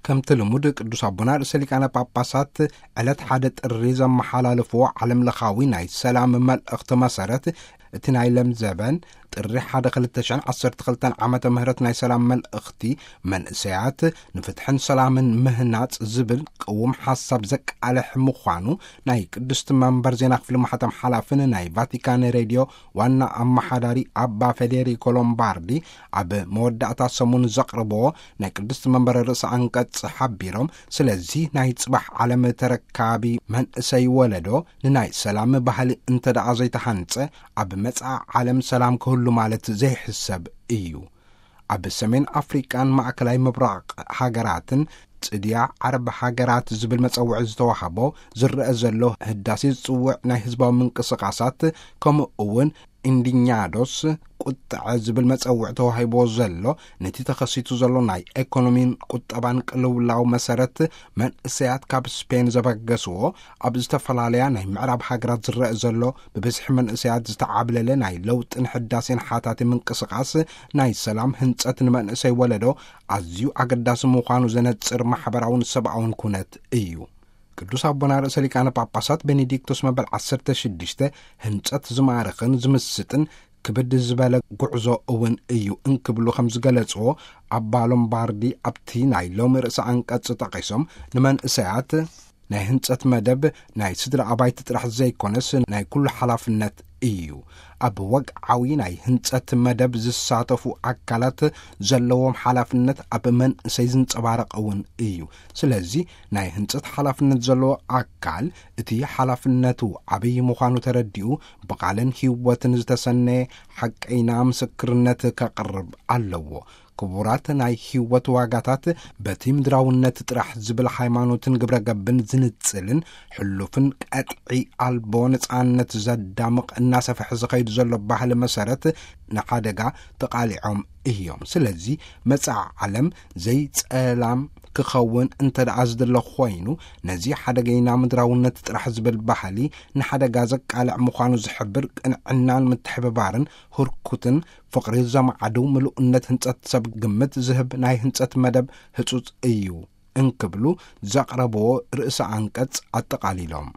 ከምቲ ልሙድ ቅዱስ ኣቦና ርእሰ ሊቃነ ጳጳሳት ዕለት ሓደ ጥሪ ዘመሓላልፍዎ ዓለም ለኻዊ ናይ ሰላም መልእኽቲ መሰረት፣ እቲ ናይ ለምዘበን ጥሪ ሓደ ክልተ ሽሕን ዓሰርተ ክልተን ዓመተ ምህረት ናይ ሰላም መልእኽቲ፣ መንእሰያት ንፍትሕን ሰላምን ምህናጽ ዝብል ቅውም ሓሳብ ዘቃልሕ ምዃኑ ናይ ቅድስቲ መንበር ዜና ክፍሊ ማሕተም ሓላፍን ናይ ቫቲካን ሬድዮ ዋና ኣመሓዳሪ ኣባ ፌዴሪኮ ሎምባርዲ ኣብ መወዳእታ ሰሙን ዘቕርብዎ ናይ ቅድስቲ መንበር ርእሰ ኣንቀጽ ሓቢሮም፣ ስለዚ ናይ ጽባሕ ዓለም ተረካቢ መንእሰይ ወለዶ ንናይ ሰላም ባህሊ እንተ ደኣ ዘይተሃንጸ፣ ኣብ መጻኢ ዓለም ሰላም ክህሉ ማለት ዘይሕሰብ እዩ። ኣብ ሰሜን ኣፍሪቃን ማእከላይ ምብራቕ ሃገራትን ጽድያ ዓረብ ሃገራት ዝብል መጸውዒ ዝተዋህቦ ዝረአ ዘሎ ህዳሴ ዝጽውዕ ናይ ህዝባዊ ምንቅስቓሳት፣ ከምኡ እውን ኢንዲኛዶስ ቁጥዐ ዝብል መጸውዒ ተዋሂቦ ዘሎ፣ ነቲ ተኸሲቱ ዘሎ ናይ ኤኮኖሚን ቁጠባን ቅልውላው መሰረት፣ መንእሰያት ካብ ስፔን ዘበገስዎ፣ ኣብ ዝተፈላለያ ናይ ምዕራብ ሃገራት ዝረአ ዘሎ ብብዝሒ መንእሰያት ዝተዓብለለ ናይ ለውጥን ሕዳሴን ሓታቲ ምንቅስቓስ፣ ናይ ሰላም ህንጸት ንመንእሰይ ወለዶ ኣዝዩ ኣገዳሲ ምዃኑ ዘነጽር ማሕበራውን ሰብኣውን ኩነት እዩ። ቅዱስ ኣቦና ርእሰ ሊቃነ ጳጳሳት ቤኔዲክቶስ መበል ዓሰርተ ሽዱሽተ፣ ህንጸት ዝማርኽን ዝምስጥን ክብድ ዝበለ ጉዕዞ እውን እዩ እንክብሉ ከም ዝገለጽዎ፣ ኣባ ሎምባርዲ ኣብቲ ናይ ሎሚ ርእሰ ኣንቀጽ ጠቒሶም፣ ንመንእሰያት ናይ ህንጸት መደብ ናይ ስድራ ኣባይቲ ጥራሕ ዘይኮነስ ናይ ኩሉ ሓላፍነት እዩ። ኣብ ወግዓዊ ናይ ህንጸት መደብ ዝሳተፉ ኣካላት ዘለዎም ሓላፍነት ኣብ መንእሰይ ዝንጸባረቕ እውን እዩ። ስለዚ ናይ ህንጸት ሓላፍነት ዘለዎ ኣካል እቲ ሓላፍነቱ ዓብዪ ምዃኑ ተረዲኡ፣ ብቓልን ህይወትን ዝተሰነየ ሓቀይና ምስክርነት ከቕርብ ኣለዎ። ክቡራት ናይ ህይወት ዋጋታት በቲ ምድራውነት ጥራሕ ዝብል ሃይማኖትን ግብረ ገብን ዝንጽልን፣ ሕሉፍን ቀጥዒ ኣልቦ ነጻነት ዘዳምቕ እናሰፍሐ ዝኸይድ ዘሎ ባህሊ መሰረት ንሓደጋ ተቓሊዖም እዮም። ስለዚ መጻኢ ዓለም ዘይጸላም ክኸውን እንተ ደኣ ዝድለ ኮይኑ፣ ነዚ ሓደገይና ምድራውነት ጥራሕ ዝብል ባህሊ ንሓደጋ ዘቃልዕ ምዃኑ ዝሕብር፣ ቅንዕናን ምትሕብባርን ህርኩትን ፍቕሪ ዘማዕድው ምሉእነት ህንጸት ሰብ ግምት ዝህብ ናይ ህንጸት መደብ ህጹጽ እዩ እንክብሉ ዘቕረብዎ ርእሰ ኣንቀጽ ኣጠቓሊሎም።